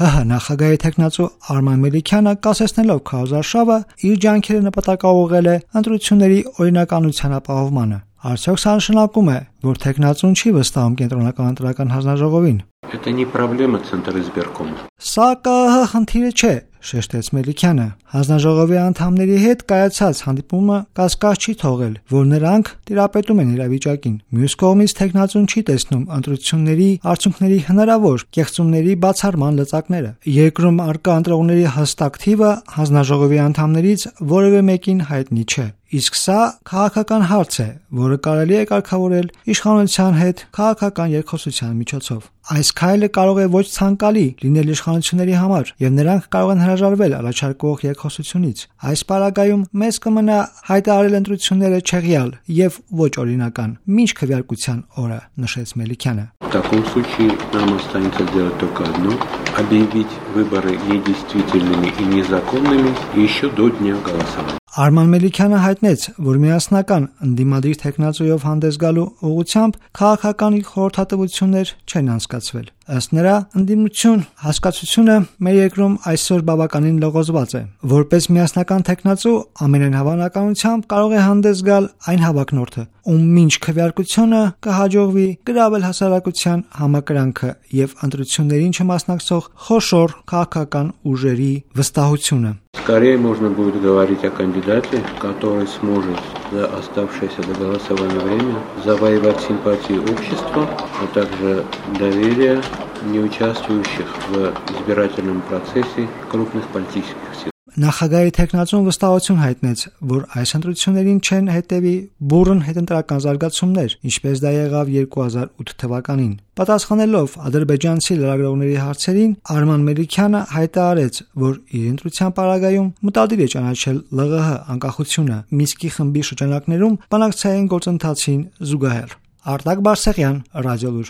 ՀՀ նախագահի տեխնացու Արման Մելիքյանը կասեցնելով քարոզարշավը իր ջանքերը նպատակաուղղել է ընտրությունների օրինականության ապահովմանը։ Արդյոք սա նշանակում է, որ տեխնացուն չի վստահում կենտրոնական ընտրական հանձնաժողովին։ Это не проблема Центризбиркома. Սա ԿՀ խնդիրը չէ, շեշտեց Մելիքյանը։ Հանձնաժողովի անդամների հետ կայացած հանդիպումը կասկած չի թողել, որ նրանք տիրապետում են իրավիճակին։ Մյուս կողմից տեխնացուն չի տեսնում ընտրությունների արդյունքների հնարավոր կեղծումների բացառման լծակները։ Երկրում արկա ընտրողների հստակ թիվը հանձնաժողովի անդամներից որևէ մեկին հայտնի չէ։ Իսկ սա քաղաքական հարց է, որը կարելի է կարգավորել իշխանության հետ քաղաքական երկխոսության միջոցով։ Այս քայլը կարող է ոչ ցանկալի լինել իշխանությունների համար, եւ նրանք կարող են հրաժարվել առաջարկվող երկխոսությունից։ Այս պարագայում մեզ կմնա հայտարարել ընտրությունները չեղյալ եւ ոչ օրինական, մինչ քվեարկության օրը, նշեց Մելիքյանը։ В таком случае нам останется сделать только одно – объявить выборы недействительными и незаконными еще до дня голосования. Արման Մելիքյանը հայտնեց, որ միասնական ընդդիմադիր տեխնացուով հանդես գալու ուղղությամբ քաղաքական խորհրդատվություններ չեն անցկացվել։ Ըստ նրա, ընդդիմություն հասկացությունը մեր երկրում այսօր բավականին լողոզված է։ Որպես միասնական տեխնացու ամենայն հավանականությամբ կարող է հանդես գալ այն հավակնորդը, ում մինչ քվեարկությունը կհաջողվի գրավել հասարակության համակրանքը եւ ընտրություններին չմասնակցող խոշոր քաղաքական ուժերի վստահությունը։ Скорее можно будет говорить о кандидате, который сможет за оставшееся до голосования время завоевать симпатии общества, а также доверие неучаствующих в избирательном процессе крупных политических сил. Նախագահի տեխնացուն վստահություն հայտնեց, որ այս ընտրություններին չեն հետևի բուռն հետընտրական զարգացումներ, ինչպես դա եղավ 2008 թվականին։ Պատասխանելով ադրբեջանցի լրագրողների հարցերին, Արման Մելիքյանը հայտարարեց, որ իր ընտրության պարագայում մտադիր է ճանաչել ԼՂՀ անկախությունը Մինսկի խմբի շրջանակներում բանակցային գործընթացին զուգահեռ։ Արտակ Բարսեղյան, Ռադիոլուր։